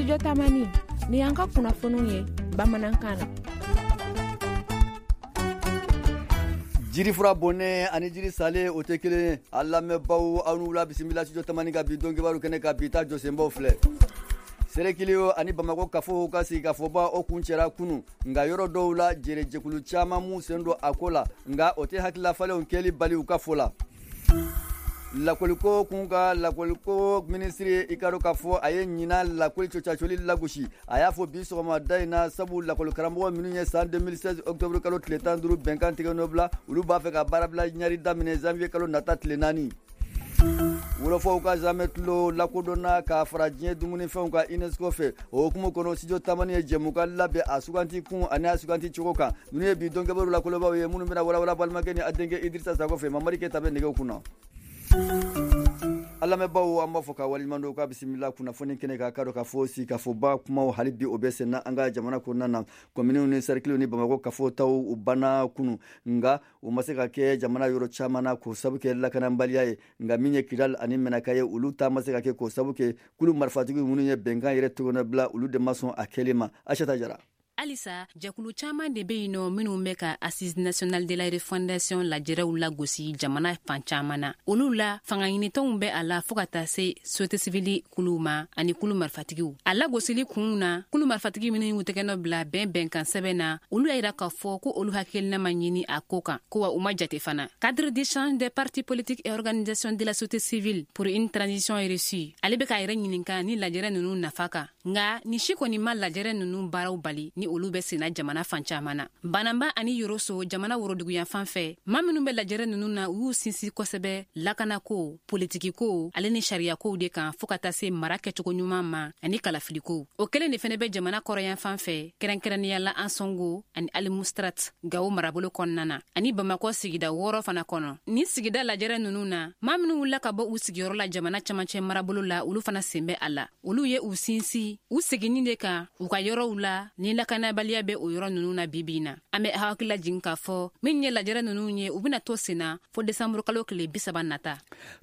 Studio Tamani, ni y'an ka kunnafoniw ye bamanankan na. Jirifura bonnen ani jiri salen, o tɛ kelen ye. A lamɛnbaw, aw ni wula, bisimila Studio Tamani ka bi don kibaru kɛnɛ kan. Bi ta jɔsenbaw filɛ: Sɛrɛkili ani Bamakɔ kafow ka sigikafɔba, o kuncɛra kunu, nka yɔrɔ dɔw la, jɛrɛjɛkulu caman m'u sen don a ko la, nka o tɛ hakililafalenw kɛli bali u ka fɔ la. Lakoliko kun ka lakoliko minisiri, i ka dɔn k'a fɔ a ye ɲinan lakoli cɔcacoli lagosi. A y'a fɔ bi sɔgɔmada in na, sabu lakɔli karamɔgɔ minnu ye san 2016 octobre kalo tile 15 bɛnkan tigɛ nɔ bila, olu b'a fɛ ka baarabila ɲari daminɛ janvier kalo nata tile 4. Wolofɔw ka zamɛtulo lakodɔnna k'a fara diɲɛ dumunifɛnw kan UNESCO fɛ. O hukumu kɔnɔ, Studio Tamani ye jɛmukan labɛn a suganti kun ani a suganti cogo kan. Ninnu ye bi don kibaru lakolobaw ye minnu bɛna walawala balimakɛ ni a denkɛ Idrissa Sako fɛ. Mamari Keyita bɛ nɛgɛw kunna. An lamɛnbaw, an b'a fɔ ka waleɲuman dɔn, k'a bisimila kunnafoni kɛnɛ kan. K'a dɔn k'a fɔ sigikafɔba kumaw, hali bi o bɛ senna an ka jamana kɔnɔna na. Kɔminiw ni sɛrikiliw ni Bamakɔ kafo taw, u banna kunu, nka u ma se ka kɛ jamana yɔrɔ caman na k'o sabu kɛ lakanabaliya ye. Nka min ye Kidal ani Mɛnaka ye, olu ta ma se ka kɛ k'o sabu kɛ kulu marifatigi minnu ye bɛnkan yɛrɛ tɔgɔnɔ bila, olu de ma sɔn a kɛlen ma. Aisata Jara. Halisa jɛkulu caman de bɛ yen nɔ minnu bɛ ka Assise nationale de la refondation lajɛrɛw lagosi jamana fan caman na. Olu la, fanga ɲinitɔnw bɛ a la, fɔɔ ka taa se société civile kuluw ma ani kulu marifatigiw. A lagosili kunw na, kulu marifatigi minnu y'u tɛgɛnɔ bila bɛn bɛnkan sɛbɛn na, olu y'a yira k'a fɔ ko olu hakilina ma ɲini a ko kan, ko wa u ma jate fana. Cadre d'échange des partis politiques et organisations de la société civile pour une transition réussie, ale bɛ k'a yɛrɛ ɲininka ni lajɛrɛ ninnu nafa kan. Nga ni si kɔni ma lajɛrɛ ninnu baaraw bali ni olu bɛ senna jamana fan caman na. Bananba ani Yoroso, jamana woroduguyan fan fɛ, ma minnu bɛ lajɛrɛ ninnu na, u y'u sinsin kosɛbɛ lakanako, politikiko ale ni sariyakow de kan, fɔɔ ka taa se mara kɛcogo ɲuman ma ani kalafilikow. O kelen de fɛnɛ bɛ jamana kɔrɔyan fan fɛ, kɛrɛnkɛrɛnnenya la Ansongo ani Almoustrat, Gawo marabolo kɔnɔna na, ani Bamakɔ sigida 6 fana kɔnɔ. Nin sigida lajɛrɛ ninnu na, maa minnu wulila ka bɔ u sigiyɔrɔ la jamana camancɛ marabolo la, olu fana sen bɛ a la. Olu ye u sinsin u seginni de kan u ka yɔrɔw la ni lakanabaliya bɛ o yɔrɔ ninnu na bi bi na. An bɛ hakili lajigin k'a fɔ min ye lajɛrɛ ninnu ye, u bɛna to sen na fo desanburu kalo tile 30 nata.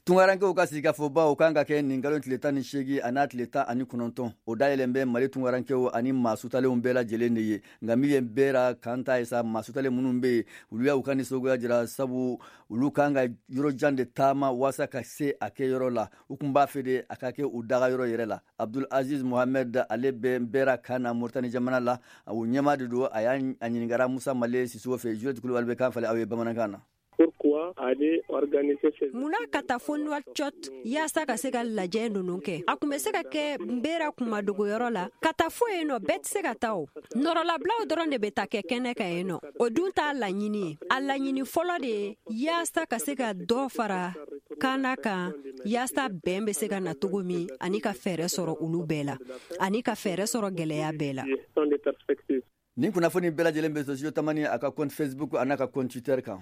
Tungarankew ka sigikafɔba, o kan ka kɛ nin kalo tile 18 a n'a tile 19. O dayɛlɛn bɛ Mali tungarankew ani maa sutalenw bɛɛ lajɛlen de ye. Nka min ye Bera kan ta ye sa, maa sutalen minnu bɛ yen, olu y'u ka nisɔngoya jira, sabu olu kan ka yɔrɔ jan de taama waasa ka se a kɛyɔrɔ la. U kun b'a fɛ de a ka kɛ u daga yɔrɔ yɛrɛ la. Abdul Aziz Mohamed, ale bɛ Bera kan na Moritani jamana la, o ɲɛmaa de don. A y'a ɲininkara Musa Male Sisoko fɛ. Juliette Kulubali bɛ kan falen aw ye bamanankan na. Munna ka taa fo Nouakchott yaasa ka se ka lajɛ ninnu kɛ? A kun bɛ se ka kɛ Nbera kunmadogoyɔrɔ la. Ka taa fo yen nɔ, bɛɛ tɛ se ka taa. O nɔrɔlabilaw dɔrɔn de bɛ taa kɛ kɛnɛ kan yen nɔ. O dun t'a laɲini ye. A laɲini fɔlɔ de ye yaasa ka se ka dɔ fara kana kan, yaasa bɛn bɛ se ka na cogo min, ani ka fɛɛrɛ sɔrɔ olu bɛɛ la, ani ka fɛɛrɛ sɔrɔ gɛlɛya bɛɛ la. Nin kunnafoni bɛɛ lajɛlen bɛ sɔrɔ Studio Tamani a ka compte Facebook a n'a ka compte Twitter kan.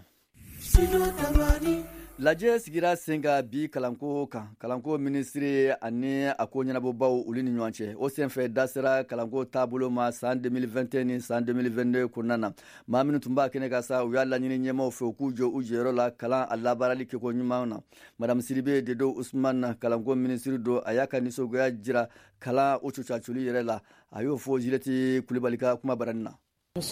Lajɛ sigira sen kan bi kalanko kan, kalanko minisiri ani a ko ɲɛnabɔbaw, olu ni ɲɔgɔn cɛ. O senfɛ, da sera kalanko taabolo ma san 2021 ni san 2022 kɔnɔna na. Maa minnu tun b'a kɛnɛ kan sa, u y'a laɲini ɲɛmaw fɛ u k'u jɔ u jɔyɔrɔ la kalan a labaarali kɛko ɲuman na. Madame Sidibe Dedo Usman, kalanko minisiri don, a y'a ka nisɔngoya jira kalan o cocacoli yɛrɛ la. A y'o fɔ Juliette Kulibali ka kuma barani na. An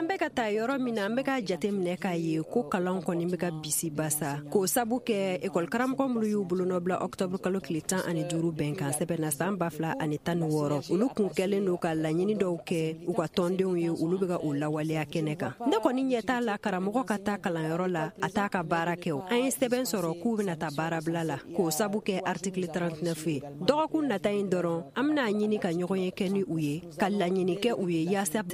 bɛ ka taa yɔrɔ min na, an bɛ ka jate minɛ k'a ye ko kalan kɔni bɛ ka bisi basa, k'o sabu kɛ ekɔli karamɔgɔ minnu y'u bolonɔ bila ɔktɔburu kalo tile 15 bɛnkan sɛbɛn na san 2016, olu kun kɛlen don ka laɲini dɔw kɛ u ka tɔndenw ye, olu bɛ ka o lawaleya kɛnɛ kan. Ne kɔni ɲɛ t'a la karamɔgɔ ka taa kalanyɔrɔ la a t'a ka baara kɛ. O an ye sɛbɛn sɔrɔ k'u bɛna taa baarabila la k'o sabu kɛ article 39 ye. Dɔgɔkun nata in dɔrɔn, an bɛna ɲini ka ɲɔgɔn ye kɛ ni u ye, ka laɲini kɛ u ye yaasa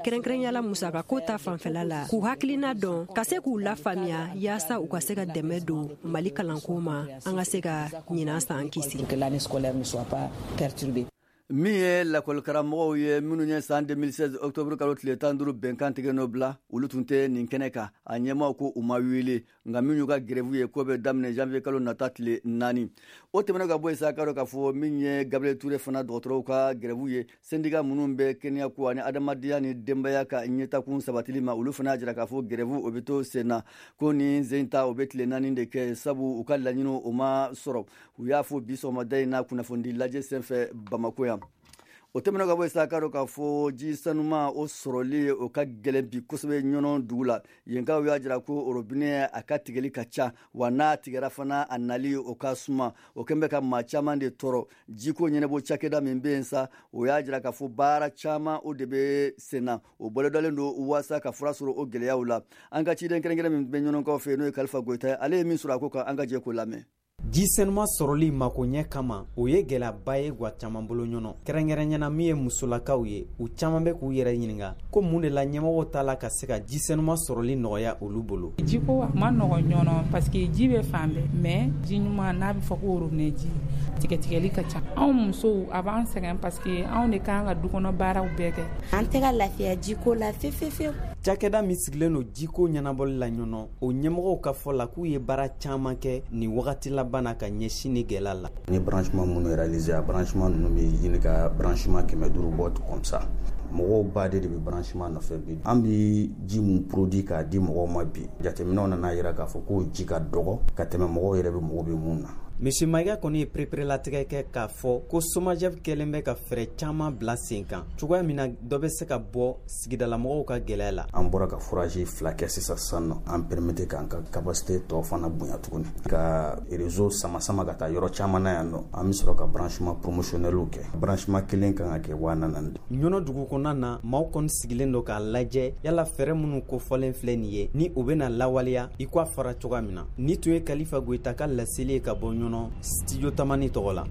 kɛrɛnkɛrɛnya la musakako ta fanfɛla la, k'u hakilina dɔn, ka se k'u lafaamuya yaasa u ka se ka dɛmɛ don Mali kalanko ma, an ka se ka ɲinan san kisi. Min ye lakɔlikaramɔgɔw ye minnu ye san 2016 octobre kalo tile 15 bɛnkan tigɛ nɔ bila, olu tun tɛ nin kɛnɛ kan. A ɲɛmaaw ko u ma wele, nka min y'u ka grève ye, k'o bɛ daminɛ janvier kalo nata tile 4. O tɛmɛnen ka bɔ yen sa, k'a dɔn k'a fɔ min ye Gabriel Touré fana dɔgɔtɔrɔw ka grève ye, syndicat minnu bɛ kɛnɛya ko ani adamadenya ni denbaya ka ɲɛtakun sabatili ma, olu fana y'a jira k'a fɔ grève o bɛ to sen na, ko nin sen ta o bɛ tile 4 de kɛ, sabu u ka laɲiniw o ma sɔrɔ. U y'a fɔ bi sɔgɔmada in na kunnafonidi lajɛ senfɛ Bamako yan. O tɛmɛnen ka bɔ yen sa, k'a dɔn k'a fɔ ji sanuma o sɔrɔli o ka gɛlɛn bi kosɛbɛ Ɲɔnɔ dugu la. Yenkaw y'a jira ko robinet a ka tigɛli ka ca, wa n'a tigɛra fana, a nali o ka suma. O kɛn bɛ ka maa caman de tɔɔrɔ. Jiko ɲɛnabɔ cakɛda min bɛ yen sa, o y'a jira k'a fɔ baara caman o de bɛ sen na, o bolodalen don waasa ka fura sɔrɔ o gɛlɛyaw la. An ka ciden kɛrɛnkɛrɛn min bɛ Ɲɔnɔkaw fɛ, n'o ye Kalifa Goyita ye, ale ye min sɔrɔ a ko kan, an ka jɛ k'o lamɛn. Ji senuma sɔrɔli makoɲɛ kama, o ye gɛlɛyaba ye gwa caman bolo Ɲɔnɔ, kɛrɛnkɛrɛnyana min ye musolakaw ye. U caman bɛ k'u yɛrɛ ɲininga ko mun de la ɲɛmɔgɔw t'a la ka se ka ji senuma sɔrɔli nɔgɔya olu bolo. Jiko a ma nɔgɔ Ɲɔnɔ, parce que ji bɛ fan bɛɛ, mais ji ɲuman n'a bɛ fɔ ko robinet ji, tigɛtigɛli ka ca. Anw musow, a b'an sɛgɛn, parce que anw de kan ka du kɔnɔ baaraw bɛɛ kɛ. An tɛ ka lafiya jiko la fefefewu. Cakɛda min sigilen don jiko ɲɛnabɔli la Ɲɔnɔ, o ɲɛmɔgɔw ka fɔ la k'u ye baara caman kɛ nin wagati laban na ka ɲɛsin ni gɛlɛya la. Ni branchement minnu réalisé, a branchement ninnu bɛ ɲini ka branchement 500 bɔ comme ça. Mɔgɔw baden de bɛ branchement nɔfɛ bi. An bɛ ji mun produit k'a di mɔgɔw ma bi, jateminɛw nana yira k'a fɔ k'o ji ka dɔgɔ ka tɛmɛ mɔgɔw yɛrɛ bɛ mago bɛ mun na. Misi Mayiga kɔni ye pereperelatigɛ kɛ k'a fɔ ko SOMAGEP kɛlen bɛ ka fɛɛrɛ caman bila sen kan, cogoya min na dɔ bɛ se ka bɔ sigidalamɔgɔw ka gɛlɛya la. An bɔra ka forage 2 kɛ sisan sisan nɔ, an permettre k'an ka capacité tɔ fana bonya tuguni, ka réseau sama sama ka taa yɔrɔ caman na yan nɔ. An bɛ sɔrɔ ka branchement promotionnel kɛ. Branchement kelen kan ka kɛ 4000. Ɲɔnɔ dugu kɔnɔna na, maaw kɔni sigilen don k'a lajɛ yala fɛɛrɛ minnu kofɔlen filɛ nin ye, ni u bɛna lawaleya i ko a fɔra cogoya min na. Ni tun ye Kalifa Goyita ka laseli ye ka bɔ Ɲɔnɔ, Studio Tamani tɔgɔ la.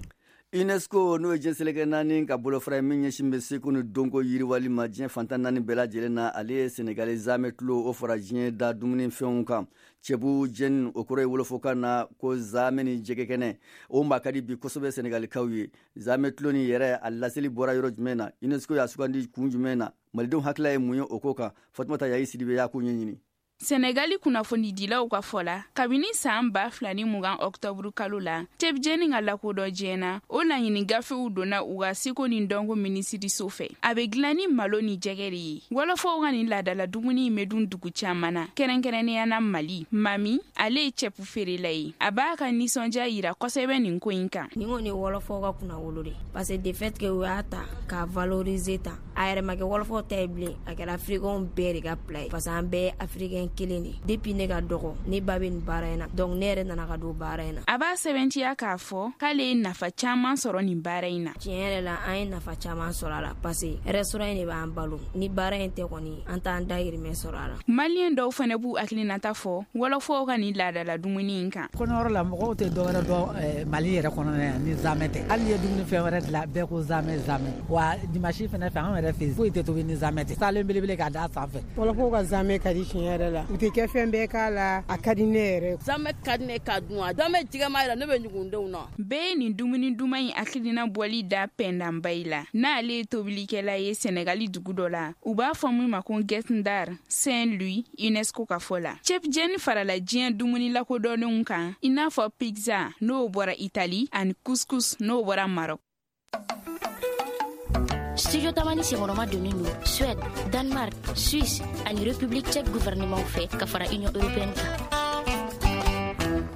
UNESCO, n'o ye diɲɛ seleke naani ka bolofara ye min ɲɛsin bɛ seko ni dɔnko yiriwali ma diɲɛ fantan naani bɛɛ lajɛlen na, ale ye Senegali zamɛ tulo o fara diɲɛ da dumunifɛnw kan. Ceebu jɛn, o kɔrɔ ye wolofɔkan na ko zamɛ ni jɛgɛ kɛnɛ, o maa ka di bi kosɛbɛ Senegalikaw ye. Zamɛ tulo ni yɛrɛ, a laseli bɔra yɔrɔ jumɛn na? UNESCO y'a sugandi kun jumɛn na? Malidenw hakilila ye mun ye o ko kan? Fatumata Yayi Sidibe y'a ko ɲɛɲini. Sɛnɛgali kunnafonidilaw ka fɔ la, kabini saan 2020 ɔktɔburu kalo la, cɛbijɛni ka lakodɔn diɲɛ na, o laɲini gafew donna u ka seko ni dɔnko minisiriso fɛ. A bɛ dilan ni malo ni jɛgɛ de ye. Wɔlɔfɔw ka nin laadala dumuni in bɛ dun dugu caman na, kɛrɛnkɛrɛnnenya na Mali. Mami, ale ye cɛpu feerela ye, a b'a ka nisɔndiya yira kosɛbɛ nin ko in kan. Nin kɔni ye wɔlɔfɔw ka kunnawolo de, parce que de fait que u y'a ta k'a valoriser tan, a yɛrɛ ma kɛ wɔlɔfɔw ta ye bilen, a kɛra africain bɛɛ de ka plat ye, parce que an bɛɛ ye africain kelen de. Depuis ne ka dɔgɔ, ne ba bɛ nin baara in na, donc ne yɛrɛ nana ka don baara in na. A b'a sɛbɛntiya k'a fɔ k'ale ye nafa caman sɔrɔ nin baara in na. Tiɲɛ yɛrɛ la, an ye nafa caman sɔrɔ a la, parce que restaurant in de b'an balo. Ni baara in tɛ kɔni, an t'an dahirimɛ sɔrɔ a la. Maliyɛn dɔw fana b'u hakilinata fɔ wɔlɔfɔw ka nin laadala dumuni in kan. Kɔɲɔyɔrɔ la, mɔgɔw tɛ dɔwɛrɛ dɔn Mali yɛrɛ kɔnɔna yan ni zamɛ tɛ. Hali n'i ye dumuni fɛn wɛrɛ dilan, bɛɛ ko zamɛ, zamɛ. Wa dimanche fɛnɛ fɛ, anw yɛrɛ fɛ, foyi tɛ tobi ni zamɛ tɛ, salen belebele k'a da sanfɛ. Wɔlɔfɔw ka zamɛ ka di tiɲɛ yɛrɛ la, u tɛ kɛ fɛn bɛɛ k'a la, a ka di ne yɛrɛ. Zamɛ ka di ne ka dun, a zamɛ jɛgɛma yɛrɛ, ne bɛ ɲugun denw na. Bɛɛ ye nin dumuni duman in hakilina bɔli da Pɛndanbayi la, n'ale ye tobilikɛla ye Sɛnɛgali dugu dɔ la, u b'a fɔ min ma ko Guet Ndar, Saint Louis. UNESCO ka fɔ la, cɛpijɛni farala diɲɛ dumuni lakodɔnnenw kan, i n'a fɔ pizza n'o bɔra Itali ani couscous n'o bɔra Maroc. Studio Tamani senkɔrɔma donnen don Suède, Danemark, Suisse ani République tchèque gouvernement fɛ ka fara Union européenne kan.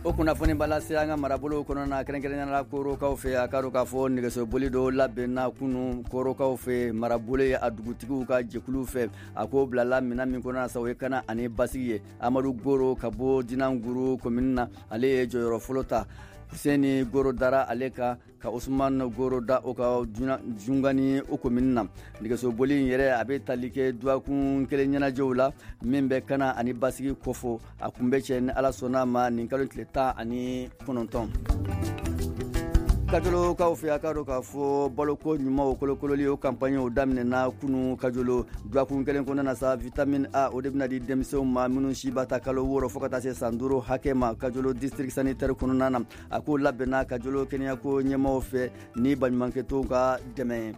O kunnafoni b'a lase an ka marabolow kɔnɔ na, kɛrɛnkɛrɛnnenya la Korokaw fɛ. A ka dɔn k'a fɔ nɛgɛsoboli dɔ labɛnna kunu Korokaw fɛ, marabolo ye a dugutigiw ka jɛkulu fɛ. A ko bilala minɛn min kɔnɔ sa, o ye kana ani basigi ye. Amadu Goro ka bɔ Dinanguru komini na, ale ye jɔyɔrɔ fɔlɔ ta. Huseni Goro dara ale kan, ka Usman Goro da o ka Jungani o komini na. Nɛgɛsoboli in yɛrɛ, a bɛ tali kɛ dɔgɔkun kelen ɲɛnajɛw la min bɛ kana ani basigi kofɔ. A kun bɛ cɛ ni Ala sɔnna ma nin kalo tile 19. Kajolokaw fɛ, a k'a dɔn k'a fɔ baloko ɲuman o kolokololi, o campagne o daminɛna kunu Kajolo. Dɔgɔkun kelen kɔnɔna na sa, vitamine A, o de bɛna di denmisɛnw ma minnu si b'a ta kalo 6 fo ka taa se san 5 hakɛ ma Kajolo district sanitaire kɔnɔna na. A ko labɛnna Kajolo kɛnɛyako ɲɛmaaw fɛ ni baɲumankɛtɔnw ka dɛmɛ ye.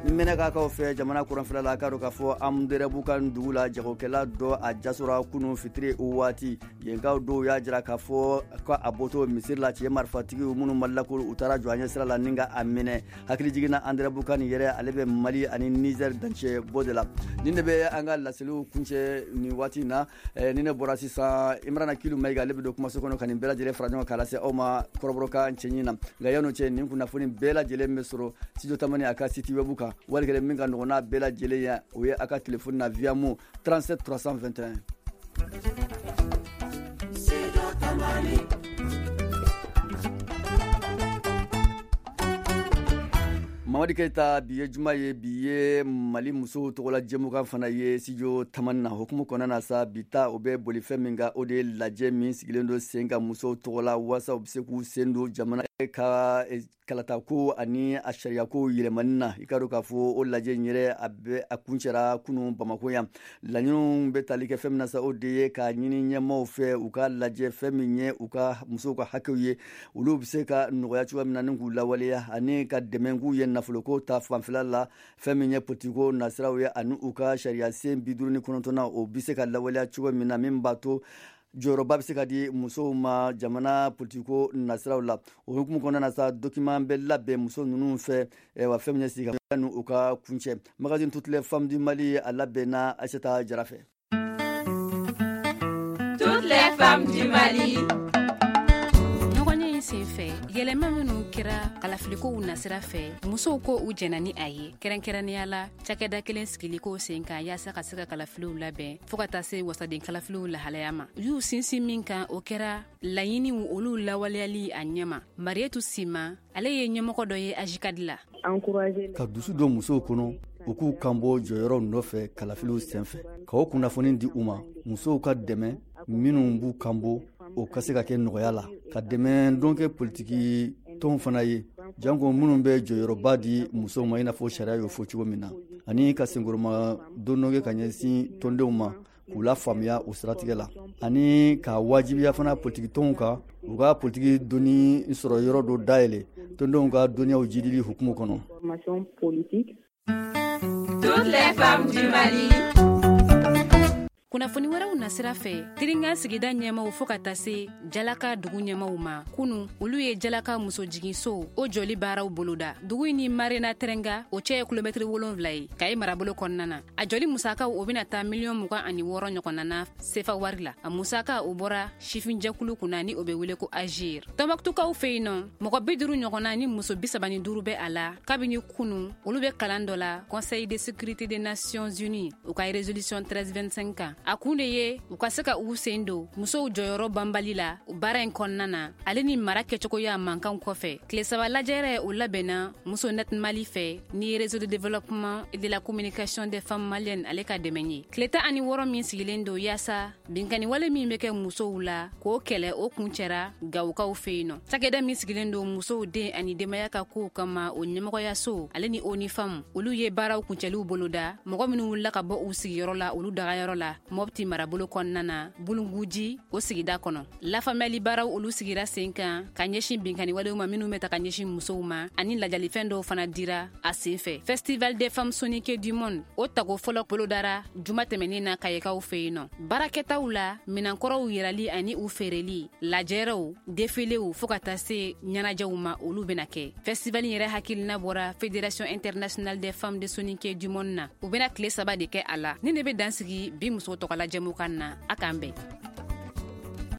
Mɛnɛkakaw fɛ, jamana kɔrɔnfɛla la, a k'a dɔn k'a fɔ Amudɛrɛbukan dugu la, jagokɛla dɔ a jasora kunu fitiri waati. Yenkaw dɔw y'a jira k'a fɔ ko a bɔtɔ misiri la, cɛ marifatigiw minnu ma lakori, u taara jɔ a ɲɛ sira la ni ka a minɛ. Hakili jiginna, Andɛrɛbukan yɛrɛ, ale bɛ Mali ani Niger dancɛ bɔ de la. Nin de bɛ an ka laseliw kuncɛ nin waati in na. Ni ne bɔra sisan, Imrana Kilu Mayiga, ale bɛ don kumaso kɔnɔ ka nin bɛɛ lajɛlen fara ɲɔgɔn kan k'a lase aw ma kɔrɔbɔrɔkan cɛɲi na. Nka yan'o cɛ, nin kunnafoni bɛɛ lajɛlen bɛ sɔrɔ Studio Tamani a ka site web kan. Wali kelen min ka nɔgɔn n'a bɛɛ lajɛlen ye, o ye a ka telefɔni na Viamo 37 321. Studio Tamani. Mamadi Keyita, bi ye juma ye, bi ye Mali musow tɔgɔla jɛmukan fana ye Studio Tamani na. Hukumu kɔnɔna na sa, bi ta o bɛ boli fɛn min kan, o de ye lajɛ min sigilen don sen kan musow tɔgɔ la, waasa u bɛ se k'u sen don jamana ka kalatako ani a sariyako yɛlɛmani na. I ka dɔn k'a fɔ o lajɛ in yɛrɛ, a bɛ a kuncɛra kunu Bamako yan. Laɲiniw bɛ tali kɛ fɛn min na sa, o de ye k'a ɲini ɲɛmaaw fɛ u ka lajɛ fɛn min ye u ka musow ka hakɛw ye, olu bɛ se ka nɔgɔya cogoya min na ni k'u lawaleya, ani ka dɛmɛ k'u ye nafoloko ta fanfɛla la, fɛn min ye politiko nasiraw ye, ani u ka sariya sen 59nan, o bɛ se ka lawaleya cogo min na, min b'a to jɔyɔrɔba bɛ se ka di musow ma jamana politiko nasiraw la. O hukumu kɔnɔna na sa, document bɛ labɛn muso ninnu fɛ, wa fɛn min ye sigi ka u ka kuncɛ. Magazine Toutes les femmes du Mali, a labɛnna Aïssata Jara fɛ. Toutes les femmes du Mali. Ɲɔgɔnye in sen fɛ, yɛlɛma minnu kɛra kalafilikow nasira fɛ, musow ko u jɛnna ni a ye, kɛrɛnkɛrɛnnenya la cakɛda kelen sigiliko sen kan yaasa ka se ka kalafiliw labɛn fɔɔ ka taa se wasaden kalafiliw lahalaya ma. U y'u sinsin min kan, o kɛra laɲiniw olu lawaleyali a ɲɛma. Marietu Sima, ale ye ɲɛmɔgɔ dɔ ye Ajikadi la. Ka dusu don musow kɔnɔ u k'u kanbɔ jɔyɔrɔw nɔfɛ kalafiliw senfɛ, ka o kunnafoni di u ma, musow ka dɛmɛ minnu b'u kanbɔ, o ka se ka kɛ nɔgɔya la, ka dɛmɛ don kɛ politiki tɔnw fana ye, janko minnu bɛ jɔyɔrɔba di musow ma i n'a fɔ sariya y'o fɔ cogo min na, ani ka senkɔrɔma don dɔ kɛ ka ɲɛsin tɔndenw ma k'u lafaamuya o siratigɛ la, ani ka wajibiya fana politiki tɔnw kan u ka politiki donni sɔrɔ yɔrɔ dɔ dayɛlɛ tɔndenw ka dɔnniyaw jidili hukumu kɔnɔ. Toutes les femmes du Mali. Kunnafoni wɛrɛw nasira fɛ, Tiringa sigida ɲɛmaw fɔɔ ka taa se Jalaka dugu ɲɛmaw ma, kunu olu ye Jalaka musojiginso o jɔli baaraw boloda. Dugu in ni Marena Tɛrɛnga o cɛ ye kilomɛtiri 7 ye Kayi marabolo kɔnɔna na. A jɔli musakaw o bɛna taa miliyɔn 26 ɲɔgɔnna na sefa wari la. A musaka o bɔra sifinjɛkulu kunna ni o bɛ wele ko Agir. Tɔnbɔkutukaw fɛ yen nɔ, mɔgɔ 50 ɲɔgɔnna ni muso 35 bɛ a la kabini kunu. Olu bɛ kalan dɔ la Conseil de sécurité des Nations Unies u ka résolution 1325 kan. A kun de ye u ka se ka u sen don musow jɔyɔrɔ banbali la baara in kɔnɔna na, ale ni mara kɛcogoya mankanw kɔfɛ. Tile 3 lajɛrɛ o labɛnna Muso Net Mali fɛ ni Réseau de développement et de la communication des femmes maliennes ale ka dɛmɛ ye. Tile 16 min sigilen don yaasa binkanni wale min bɛ kɛ musow la k'o kɛlɛ, o kuncɛra Gawokaw fɛ yen nɔ. Cakɛda min sigilen don musow den ani denbaya ka kow kama, o ɲɛmɔgɔyaso ale ni ONU Femmes, olu ye baaraw kuncɛliw boloda. Mɔgɔ minnu wulila ka bɔ u sigiyɔrɔ la, olu dagayɔrɔ la Mɔpti marabolo kɔnɔna na, Bulunguji o sigida kɔnɔ. Lafaamuyali baaraw olu sigira sen kan ka ɲɛsin binkanni walew ma minnu bɛ ta ka ɲɛsin musow ma, ani lajalifɛn dɔw fana dira a sen fɛ. Festival des femmes soninké du monde o tago fɔlɔ bolodara juma tɛmɛnen na Kayekaw fɛ yen nɔ. Baarakɛtaw la, minankɔrɔw yirali ani u feereli, lajɛrɛw, defilew fɔɔ ka taa se ɲɛnajɛw ma, olu bɛna kɛ. Festival yɛrɛ hakilina bɔra Fédération internationale des femmes de soninké du monde na. U bɛna tile 3 de kɛ a la. Ni ne bɛ dan sigi bi muso tɔgɔla jɛmukan na, a k'an bɛn.